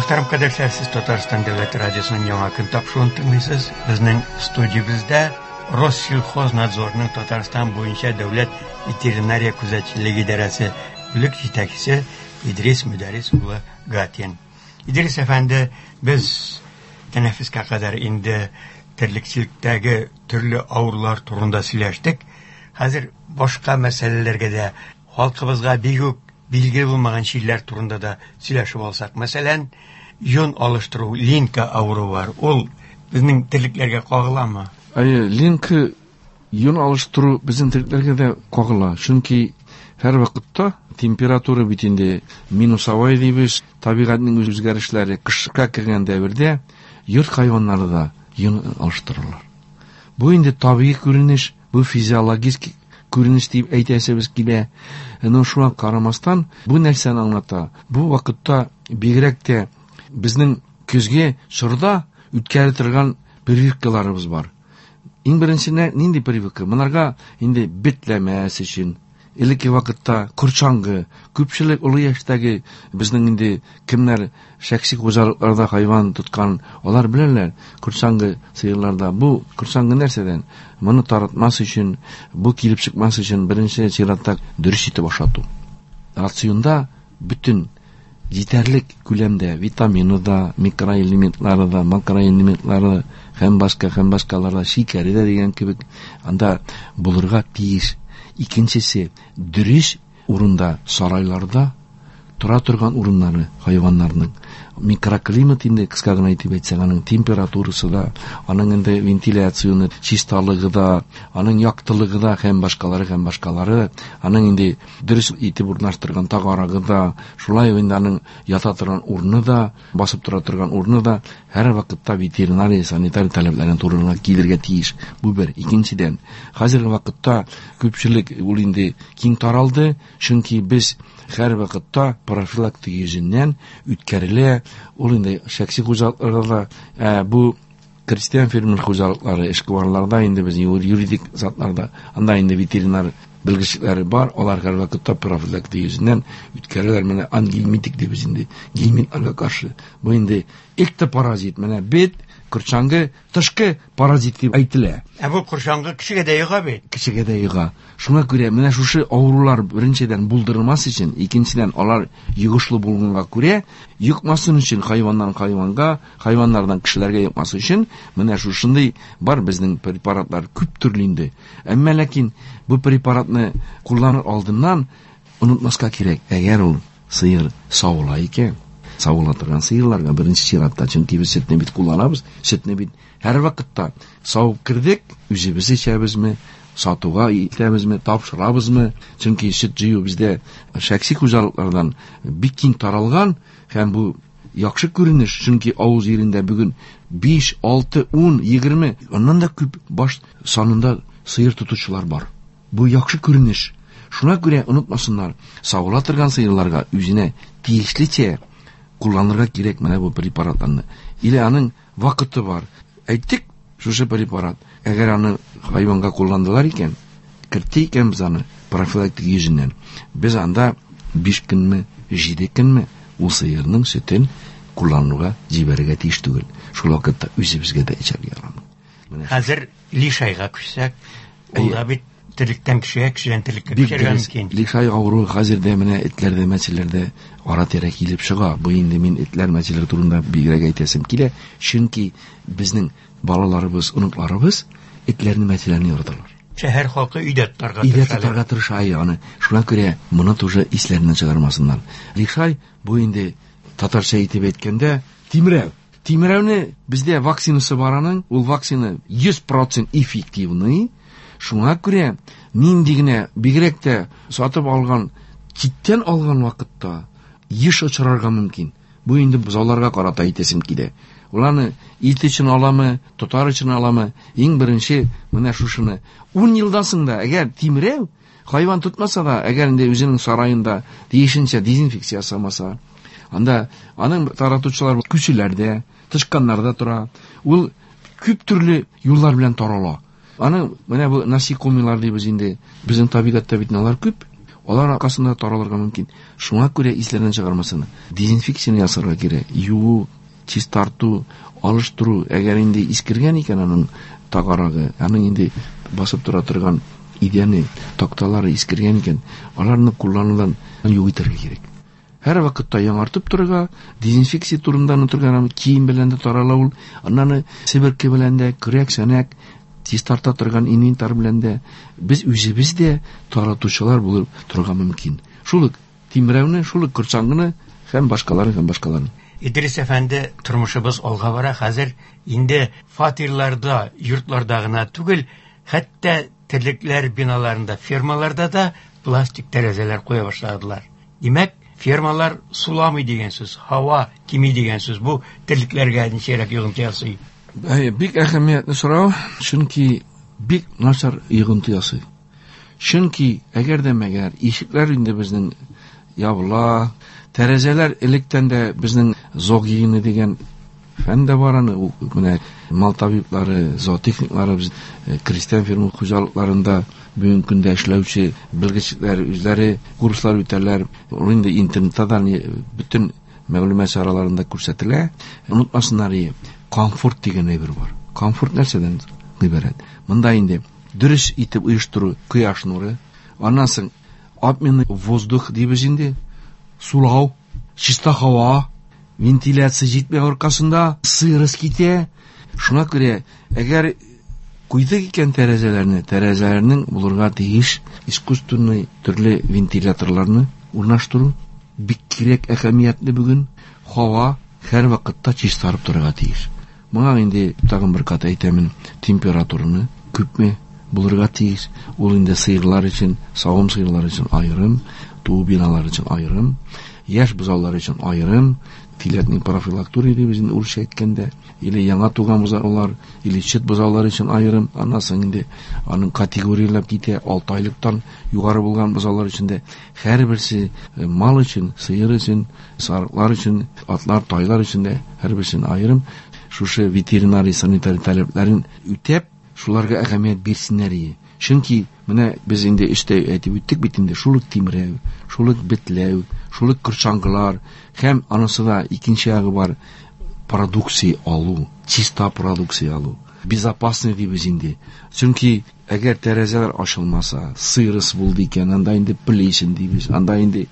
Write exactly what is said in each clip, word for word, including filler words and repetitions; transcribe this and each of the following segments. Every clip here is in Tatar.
Мөхтәрәм кардәшләр, сез Татарстан Дәүләт радиосының Яңа көн тапшыруын тыңлыйсыз. Безнең студиябездә Россельхознадзорның Татарстан буенча дәүләт ветеринария күзәтчелеге идарәсе бүлек җитәкчесе Идрис Мөдәррис улы Гатин. Идрис әфәнде, без тәнәфескә кадәр инде терлекчелектәге төрле авырулар турында сөйләштек. Хәзер башка мәсьәләләргә дә, халкыбызга бик үк билгеле булмаган чирләр турында да сөйләшеп алсак. Мәсәлән, йон алыштыру, линка авыруы бар. Ул безнең терлекләргә кагыламы? Әйе, линка, йон алыштыру безнең терлекләргә дә кагыла. Чөнки һәр вакытта температура бит инде минусовой дибез, табигатьнең үзгәрешләре кышка кергән дәвердә йорт хайваннары да йон алыштыралар. Бу инде табигый күренеш, бу физиологик күренеш дип әйтәсебез килә. Но шуңа карамастан бу нәрсәне аңлата. Бу вакытта бигрәк тә безнең көзге чорда үткәрә торган прививкаларыбыз бар. Иң беренчесенә нинди прививка? Монарга инде бетләмәс өчен. Элекке вакытта корчаңгы, күпчелек олы яшьтәге безнең инде кемнәр шәхси хуҗалыкларда хайван тоткан, алар беләләр, корчаңгы сыерларда. Бу корчаңгы нәрсәдән? Моны таратмас өчен, бу килеп чыкмас өчен беренче чиратта дөрес итеп ашату. Рационда бөтен җитәрлек күләмдә витамины да, микроэлементлары да, макроэлементлары да, һәм башка, һәм башкалар да, шикәре дә дигән кебек анда булырга тиеш. Икенчесе, дөрес урында, сарайларда тора торган урыннары хайваннарның. Микроклимат инде кыска гына әйтеп әйтсәк, аның температурасы да, аның инде вентиляцияне чисталыгы да, аның яктылыгы да һәм башкалары, һәм башкалары, аның инде дөрес итеп урнаштырган тагарагы да, шулай ук инде аның ята торган урыны да, басып тора торган урыны да һәр вакытта ветеринария, санитар таләпләренә туры килергә тиеш. Бу бер. Икенчедән, хәзерге вакытта күпчелек ул инде киң таралды, чөнки без һәр вакытта профилактика йөзеннән үткәрелә. Ул инде шәхси хуҗалыкларда, ә, бу крестьян фермер хуҗалыклары, эшкуарларда инде без юридик затларда, анда инде ветеринар белгечлекләре бар, алар һәр вакытта профилактика йөзеннән үткәрәләр. Менә ангельминтик дибез инде, гельминтларга каршы. Бу инде эктопаразит, менә бет, корчаңгы, тышкы паразит дип әйтелә. Ә бу корчаңгы кешегә дә йога бит. Кешегә дә йога. Шуңа күрә менә шушы авырулар беренчедән булдырмас өчен, икенчедән алар йогышлы булганга күрә, йокмасын өчен хайваннан хайванга, хайваннардан кешеләргә йокмас өчен менә шушындый бар безнең препаратлар күп төрле инде. Әмма ләкин бу препаратны кулланыр алдыннан онытмаска кирәк. Әгәр ул сыер савыла икән, савыла торган сыерларга беренче чиратта, чөнки без сөтне бит кулланабыз, сөтне бит һәр вакытта савып кердек, үзебез эчәбезме, сатуга итәбезме, тапшырабызмы, чөнки сөт җыю бездә шәхси хуҗалыклардан бик киң таралган һәм бу яхшы күренеш, чөнки авыл җирендә бүген биш, алты, ун, егерме, аннан да күп баш санында сыер тотучылар бар. Бу яхшы күренеш. Шуңа күрә онытмасыннар, савыла торган сыерларга үзенә тиешлечә кулланырга кирәк менә бу препаратларны. Или аның вакыты бар. Әйттек, шушы препарат. Әгәр аны хайванга кулландылар икән, кертте икән без аны профилактик йөзеннән. Без анда биш көнме, җиде көнме ул сыерның сөтен куллануга җибәрергә тиеш түгел. Шул вакытта үзебезгә дә эчәргә ярамый. Менә Хәзер лишайга күчсәк, ул да бит терлектән кешегә, кешедән терлеккә Бик күчәргә дөрес. мөмкин. Лишай авыруы хәзер дә менә этләрдә, мәчеләрдә ара-тирә килеп чыга. Бу инде мин этләр, мәчеләр турында бигрәк әйтәсем килә, чөнки безнең балаларыбыз, оныкларыбыз этләрне, мәчеләрне яраталар. Шәһәр халкы өйдә тотарга Өйдә тырыша. тотарга тырыша, әйе, аны. Шуңа күрә моны тоже исләреннән чыгармасыннар. Лишай бу инде татарча итеп әйткәндә тимрәү. Тимрәүне бездә вакцинасы бар аның, ул вакцина йөз процент эффективный. Шуңа күрә нинди генә бигрәк тә сатып алган, читтән алган вакытта еш очрарга мөмкин. Бу инде бозауларга карата әйтәсем килә. Уларны ит өчен аламы, тотар өчен аламы? Иң беренче менә шушыны. Ун елдан соң да, әгәр тимрәү хайван тотмаса да, әгәр инде үзенең сараенда тиешенчә дезинфекция ясамаса, анда аның таратучылар күчеләрдә, тычканнарда тора. Ул күп төрле юллар белән тарала. Аның менә бу насекомыйлар дибез инде. Безнең табигатьтә бит алар күп. Алар аркасында таралырга мөмкин. Шуңа күрә исләрдән чыгармасын. Дезинфекция ясарга кирәк. Юу, чистарту, алыштыру. Әгәр инде искергән икән аның тагарагы, аның инде басып тора торган идәне, такталары искергән икән, аларны кулланудан юк итәргә кирәк. Һәр вакытта яңартып торырга, дезинфекция турында онытырга, кием белән дә тарала ул, аннан себерке белән дә, көрәк, сәнәк, чистарта торган инвентарь белән дә без үзебез дә таратучылар булып торырга мөмкин. Шул ук тимрәүне, шул ук корчаңгыны һәм башкаларын, һәм башкаларын. Идрис әфәнде, тормышыбыз алга бара. Хәзер инде фатирларда, йортларда гына түгел, хәтта терлекләр биналарында, фермаларда да пластик тәрәзәләр куя башладылар. Димәк, фермалар суламый дигән сүз, һава кими дигән сүз. Бу терлекләргә ничәрәк йогынты ясый? Әйе, бик әһәмиятле сорау, чөнки бик начар йогынты ясый. Чөнки әгәр дә мәгәр ишекләр инде безнең ябыла, тәрәзәләр электән дә безнең зоогигиена дигән фән дә бар, аны менә мал табиблары, зоотехниклары, без крестьян фермер хуҗалыкларында бүгенге көндә эшләүче белгечләр үзләре курслар үтәләр. Ул инде интернетта да бөтен мәгълүмат чараларында күрсәтелә. Онытмасыннар, комфорт дигән әйбер бар. Комфорт нәрсәдән гыйбарәт? Монда инде дөрес итеп оештыру, кояш нуры, аннан соң обменный воздух дибез инде, сулау, чиста һава, вентиляция җитмәү аркасында сырость китә. Шуңа күрә, әгәр куйдык икән тәрәзәләрне, тәрәзәләрнең булырга тиеш искусственный төрле вентиляторларны урнаштыру бик кирәк, әһәмиятле бүген. Һава һәр вакытта чистарып торырга тиеш. Моңа инде тагын бер кат әйтәмен, температураны күпме булырга тиеш. Ул инде сыерлар өчен, савым сыерлар өчен аерым, туу биналар өчен аерым, яшь бозаулар өчен аерым, телятный профилактурия дибез инде урысча әйткәндә, или яңа туган бозаулар, или чит бозаулар өчен аерым. Аннан соң инде аның категорияләп китә, алты айлыктан югары булган бозаулар өчен дә һәрберсе мал өчен, сыер өчен, сарыклар өчен, атлар, тайлар өчен дә һәрберсен аерым. Шушы ветеринария санитария таләпләрен үтәп, шуларга әһәмият бирсеннәр иде. Чөнки менә без инде эштә әйтеп үттек бит инде, шул ук тимрәү, шул ук бетләү, шул ук корчаңгылар һәм анысы да икенче ягы бар, продукция алу, чиста продукция алу, безопасный дибез инде. Чөнки әгәр тәрәзәләр ачылмаса, сырость булды икән, анда инде плесень дибез, анда инде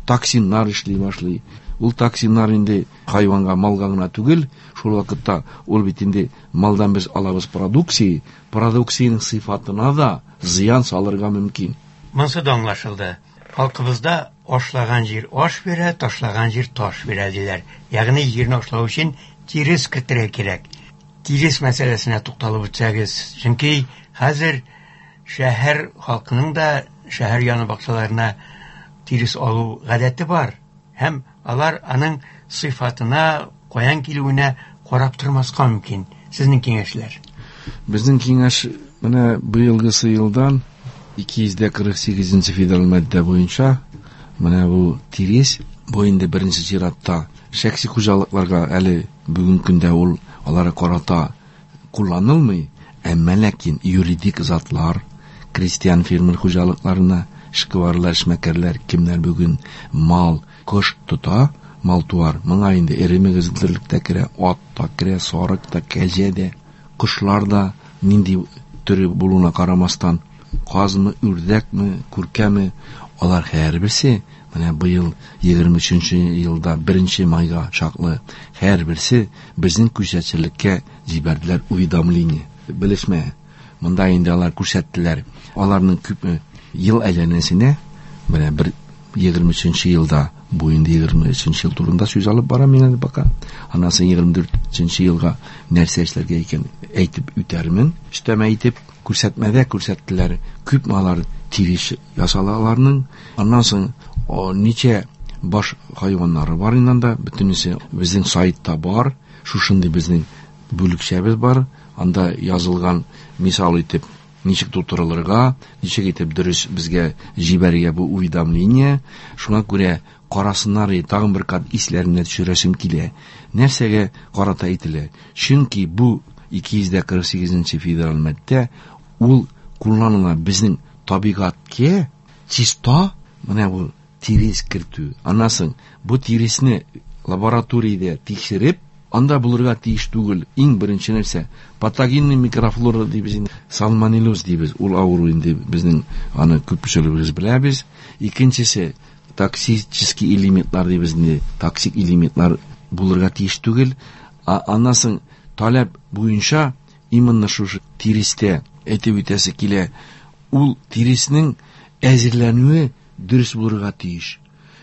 токсиннар эшли башлый. Ул токсиннар инде хайванга, малга гына түгел, шул вакытта ул бит инде малдан без алабыз продукция, продукциянең сыйфатына да зыян салырга мөмкин. Монсы да аңлашылды. Халкыбызда ашлаган җир аш бирә, ташлаган җир таш бирә диләр. Ягъни җирне ашлау өчен тирес кертергә кирәк. Тирес мәсьәләсенә тукталып үтсәгез, чөнки хәзер шәһәр халкының да шәһәр яны бакчаларына тирес алу гадәте бар. Һәм алар аның сыйфатына, каян килүенә карап тормаска мөмкин. Сезнең киңәшләр? Безнең киңәш менә быелгысы елдан ике йөз дә кырык сигезенче федераль маддә буенча менә бу тирес, бу инде беренче чиратта шәхси хуҗалыкларга әле бүгенге көндә ул аларга карата кулланылмый, әмма ләкин юридик затлар, крестьян фермер хуҗалыкларына, эшкуарлар, эшмәкәрләр, кемнәр бүген мал, кош тота, мал туар, моңа инде эре мөгезлелек тә керә, ат та керә, сарык та, кәҗә дә, кошлар да нинди төре булуына карамастан, казмы, үрдәкме, күркәме, алар һәрберсе менә быел егерме өченче елда беренче майга чаклы һәрберсе безнең күзәтчелеккә җибәрделәр уведомление, белешмә. Монда инде алар күрсәттеләр. Аларның күпме ел әйләнәсенә менә бер егерме өченче елда, бу инде егерме өченче ел турында сүз алып барам мин әле пока. Аннан соң егерме дүртенче елга нәрсә эшләргә икән әйтеп үтәрмен. Өстәмә әйтеп күрсәтмәдә күрсәттеләр. Күпме алар тирес ясала аларның. Аннан соң ничә баш хайваннары бар инде анда, бөтенесе безнең сайтта бар. Шушындый безнең бүлекчәбез бар. Анда язылган мисал итеп ничек тутырылырга, ничек итеп дөрес безгә җибәрергә бу уведомление. Шуңа күрә карасыннар, тагын бер кат исләренә төшерәсем килә. Нәрсәгә карата әйтелә? Чөнки бу ике йөз дә кырык сигезенче федераль маддә ул кулланыла безнең табигатькә чиста Менә бу тирес кертү. Аннан соң бу тиресне лабораториядә тикшереп, анда булырга тиеш түгел. Иң беренче нәрсә патогенный микрофлора дибез инде, сальмонеллез дибез. Ул авыру инде безнең аны күпчелегебез беләбез. Икенчесе токсический элементлар дибез инде, токсик элементлар булырга тиеш түгел. Аннан соң таләп буенча именно шушы тирестә әйтеп үтәсе килә, ул тиреснең әзерләнүе дөрес булырга тиеш.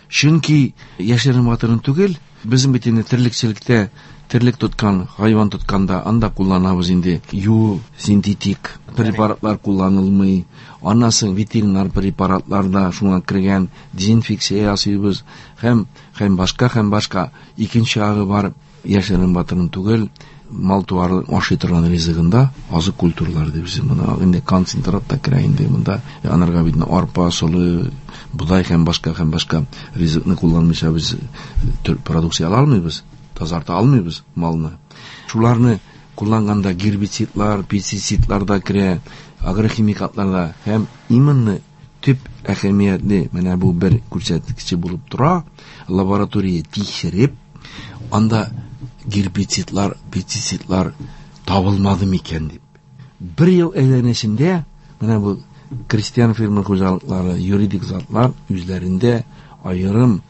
Чөнки яшерен батырын түгел, безнең бит инде терлекчелектә терлек тоткан, хайван тотканда анда кулланабыз инде ю синтетик препаратлар кулланылмый. Аннан соң ветеринар препаратлар да шуңа кергән, дезинфекция ясыйбыз һәм һәм башка һәм башка. Икенче ягы бар, яшерен батырын түгел, мал туар ашый торган ризыгында азык культуралар дибез. Моны инде концентрат та керә инде монда. Анарга бит арпа, солы, бодай һәм башка һәм башка ризыкны кулланмыйча без продукция ала алмыйбыз, тазарта алмыйбыз малны. Шуларны кулланганда гербицидлар, пестицидлар да керә, агрохимикатлар да һәм именно төп әһәмиятле менә бу бер күрсәткече булып тора. Лаборатория тикшереп, анда гербицидлар, пестицидлар табылмады микән дип. Бер ел әйләнешендә менә бу крестьян фермер хуҗалыклары, юридик затлар үзләрендә аерым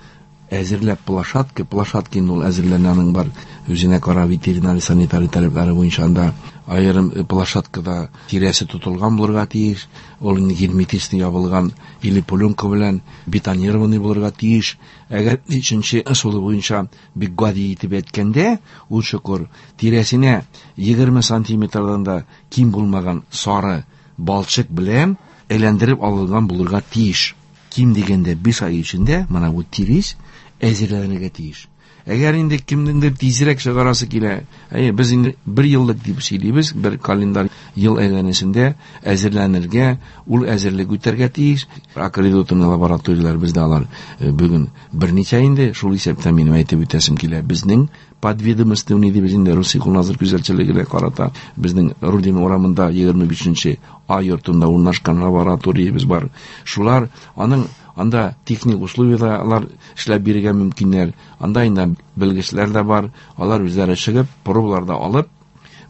әзерләп площадка, площадка инде ул әзерләнәнең бар үзенә кара ветеринар санитарий таләпләре буенча анда аерым площадкада тирәсе тотылган булырга тиеш, ул инде герметично ябылган или пленка белән бетонированный булырга тиеш. Әгәр өченче ысулы буенча бик гади итеп әйткәндә, ул чокыр тирәсенә егерме сантиметрдан да ким булмаган сары балчык белән әйләндереп алынган булырга тиеш. Ким дигәндә биш ай эчендә менә бу тирес әзерләнергә тиеш. Әгәр инде кемнеңдер тизрәк чыгарасы килә, әйе, без инде бер еллык дип сөйлибез, бер календарь ел әйләнешендә әзерләнергә, ул әзерлек үтәргә тиеш. Аккредитованный лабораторияләр бездә алар бүген берничә инде, шул исәптән минем әйтеп үтәсем килә, безнең подведомственный дибез инде Россельхознадзор күзәтчелегенә карата безнең Рудин урамында егерме бишенче А йортында урнашкан лабораториябез бар. Шулар аның анда техник условияләр алар эшләп бирергә мөмкиннәр. Анда инде белгечләр дә бар. Алар үзләре чыгып, пробалар да алып,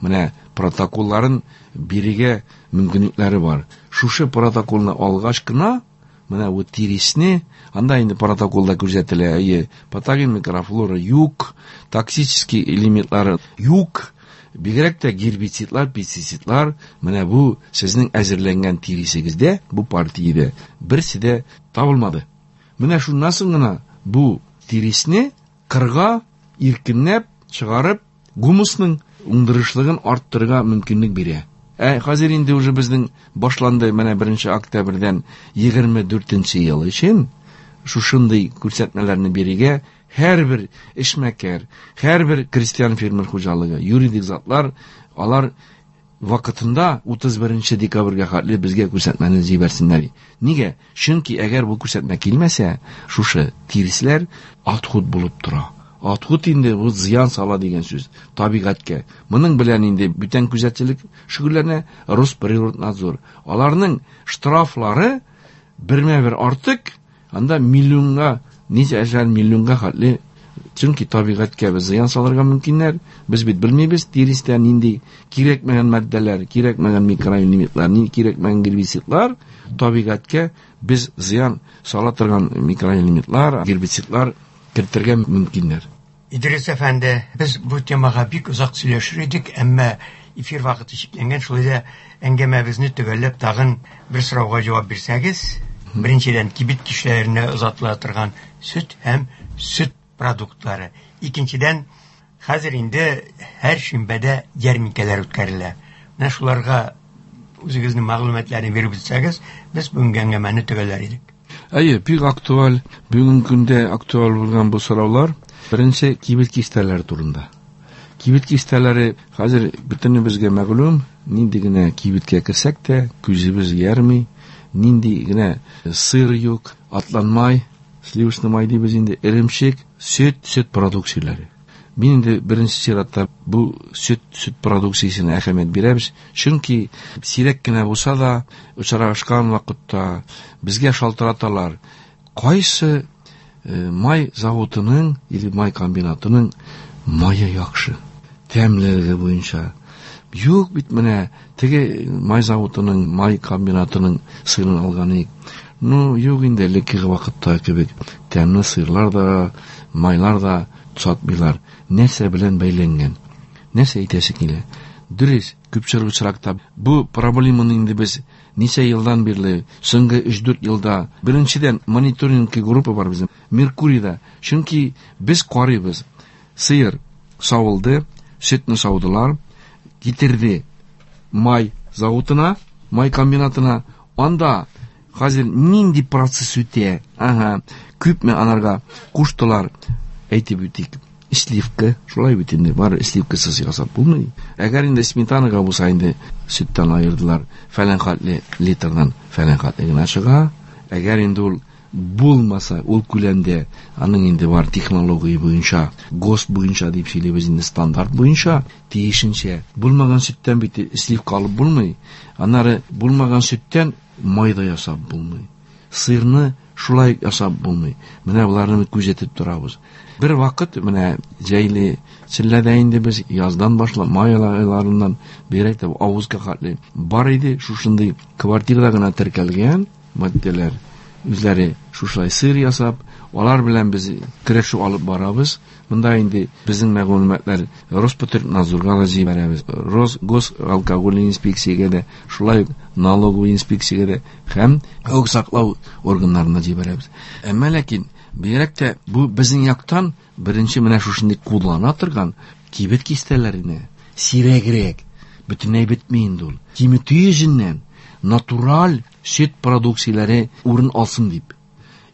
менә протоколларын бирергә мөмкинлекләре бар. Шушы протоколны алгач кына, менә бу тиресне, анда инде протоколда күрсәтелә, әйе, патоген микрофлора юк, токсический элементлары юк, бигрәк тә гербицидлар, пестицидлар, менә бу сезнең әзерләнгән тиресегездә, бу партиядә берсе дә табылмады. Менә шуннан соң гына бу тиресне кырга иркенләп чыгарып, гумусның уңдырышлыгын арттырырга мөмкинлек бирә. Ә хәзер инде уже безнең башланды менә беренче октябрьдән егерме дүртенче ел өчен шушындый күрсәтмәләрне бирергә һәрбер эшмәкәр, һәрбер крестьян фермер хуҗалыгы, юридик затлар, алар вакытында утыз беренче декабрьгә хәтле безгә күрсәтмәне җибәрсеннәр. Нигә? Чөнки әгәр бу күрсәтмә килмәсә, шушы тиресләр отход булып тора. Отход инде бу зыян сала дигән сүз табигатькә. Моның белән инде бүтән күзәтчелек шөгыльләнә Росприроднадзор. Аларның штрафлары бермә-бер артык, анда миллионга, ничә әшәр миллионга хәтле, чөнки табигатькә без зыян салырга мөмкиннәр. Без бит белмибез тирестә нинди кирәкмәгән матдәләр, кирәкмәгән микроэлементлар, нинди кирәкмәгән гербицидлар, табигатькә без зыян сала торган микроэлементлар, гербицидлар кертергә мөмкиннәр. Идрис әфәнде, без бу темага бик озак сөйләшер идек, әмма эфир вакыты чикләнгән, шулай да әңгәмәбезне төгәлләп тагын бер сорауга җавап бирсәгез. Беренчедән, кибет киштәләренә озатыла торган сөт һәм сөт продуктлары. Икенчедән, хәзер инде һәр шимбәдә ярминкәләр үткәрелә. Менә шуларга үзегезнең мәгълүматларны биреп үтсәгез, без бүгенге әңгәмәне төгәлләр идек. Әйе, бик актуаль, бүгенге көндә актуаль булган бу сораулар. Беренче, кибет киштәләре турында. Кибет киштәләре хәзер бөтенебезгә мәгълүм, нинди генә кибеткә керсәк тә, күзебез ярмый, нинди генә сыр юк, атланмай, сливочный май дибез инде, эремчек, сөт, сөт продукцияләре. Мин инде беренче чиратта бу сөт, сөт продукциясенә әһәмият бирәбез, чөнки сирәк кенә булса да очрашкан вакытта безгә шалтыраталар. Кайсы май заводының или май комбинатының мае яхшы, тәмлелеге буенча. Юк бит менә теге май заводының, май комбинатының сырын алган идек. Ну, юк инде элеккеге вакытта кебек тәмле сырлар да, майлар да сатмыйлар. Нәрсә белән бәйләнгән? Нәрсә әйтәсе килә? Дөрес, күпчелек очракта бу проблеманы инде без ничә елдан бирле, соңгы өч-дүрт елда, беренчедән мониторинг группа бар безнең Меркурийда. Чөнки без карыйбыз. Сыер савылды, сөтне саудылар, китерде май заводына, май комбинатына. Анда хәзер нинди процесс үтә? Ага, күпме анарга куштылар, әйтеп үтик. Сливка, шулай бит инде, бар сливкасыз ясап булмый. Әгәр инде сметанага булса инде сөттән аердылар, фәлән хәтле литрдан фәлән хәтле генә чыга. Әгәр инде ул булмаса, ул күләмдә, аның инде бар технология буенча, ГОСТ буенча дип сөйлибез инде, стандарт буенча, тиешенчә. Булмаган сөттән бит сливка алып булмый. Аннары булмаган сөттән май да ясап булмый. Сырны шулай ясап булмый. Менә боларны күзәтеп торабыз. Бер вакыт менә җәйле челләдә инде без яздан башлап май айларыннан бигрәк тә августка хәтле бар иде шушындый квартирада гына теркәлгән матдәләр. Үзләре шушылай сыр ясап, алар белән без көрәшү алып барабыз. Монда инде безнең мәгълүматлар Роспотребнадзорга да җибәрәбез, Росгосалкоголь инспекциягә дә, шулай ук налоговый инспекциягә дә һәм хокук саклау органнарына җибәрәбез. Әмма ләкин бигрәк тә бу безнең яктан беренче менә шушындый куллана торган кибет кистәләренә сирәгрәк, бөтенләй бетми инде ул. Киметү йөзеннән натураль сөт продукцияләре урын алсын дип.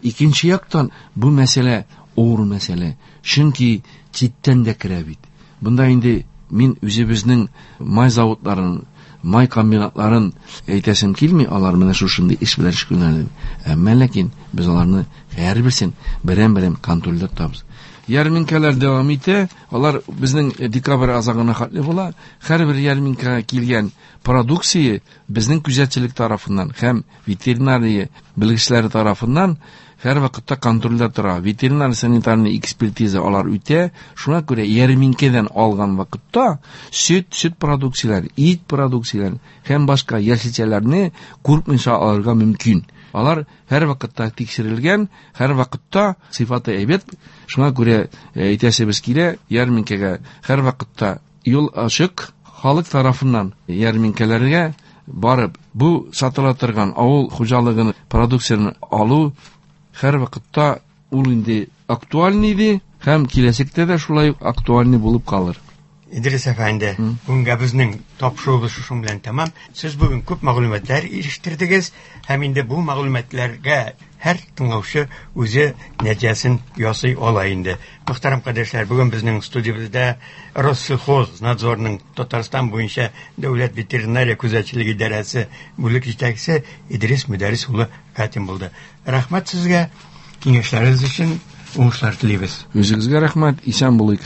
Икенче яктан бу мәсьәлә авыр мәсьәлә, чөнки читтән дә керә бит. Бында инде мин үзебезнең май заводларын, май комбинатларын әйтәсем килми, алар менә шушындый эш белән шөгыльләнә. Әмма ләкин без аларны һәрберсен берәм-берәм контрольдә тотабыз. Ярминкәләр дәвам итә, алар безнең декабрь азагына хәтле була. Һәрбер ярминкәгә килгән продукция безнең күзәтчелек тарафыннан һәм ветеринария белгечләре тарафыннан һәр вакытта контрольдә тора. Ветеринар санитарный экспертиза алар үтә. Шуңа күрә ярминкәдән алган вакытта сөт, сөт продукцияләре, ит продукцияләре һәм башка яшелчәләрне куркмыйча алырга мөмкин. Алар һәр вакытта тикшерелгән, һәр вакытта сыйфаты әйбәт. Шуңа күрә әйтәсебез килә, ярминкәгә һәр вакытта юл ачык, халык тарафыннан ярминкәләргә барып, бу сатыла торган авыл хуҗалыгының продукциясен алу һәр вакытта ул инде актуальный иде һәм киләчәктә дә шулай ук актуальный булып калыр. Идрис әфәнде, бүгенгә безнең тапшыруыбыз шушың белән тәмам. Сез бүген күп мәгълүматлар ирештердегез һәм инде бу мәгълүматларга һәр тыңлаучы үзе нәтиҗәсен ясый ала инде. Мөхтәрәм кардәшләр, бүген безнең студиябездә Россельхознадзорның Татарстан буенча дәүләт ветеринария күзәтчелеге идарәсе бүлек җитәкчесе Идрис Мөдәррис улы Гатин булды. Рәхмәт сезгә, киңәшләрегез өчен уңышлар телибез. Үзегезгә рәхмәт, исән булыйк.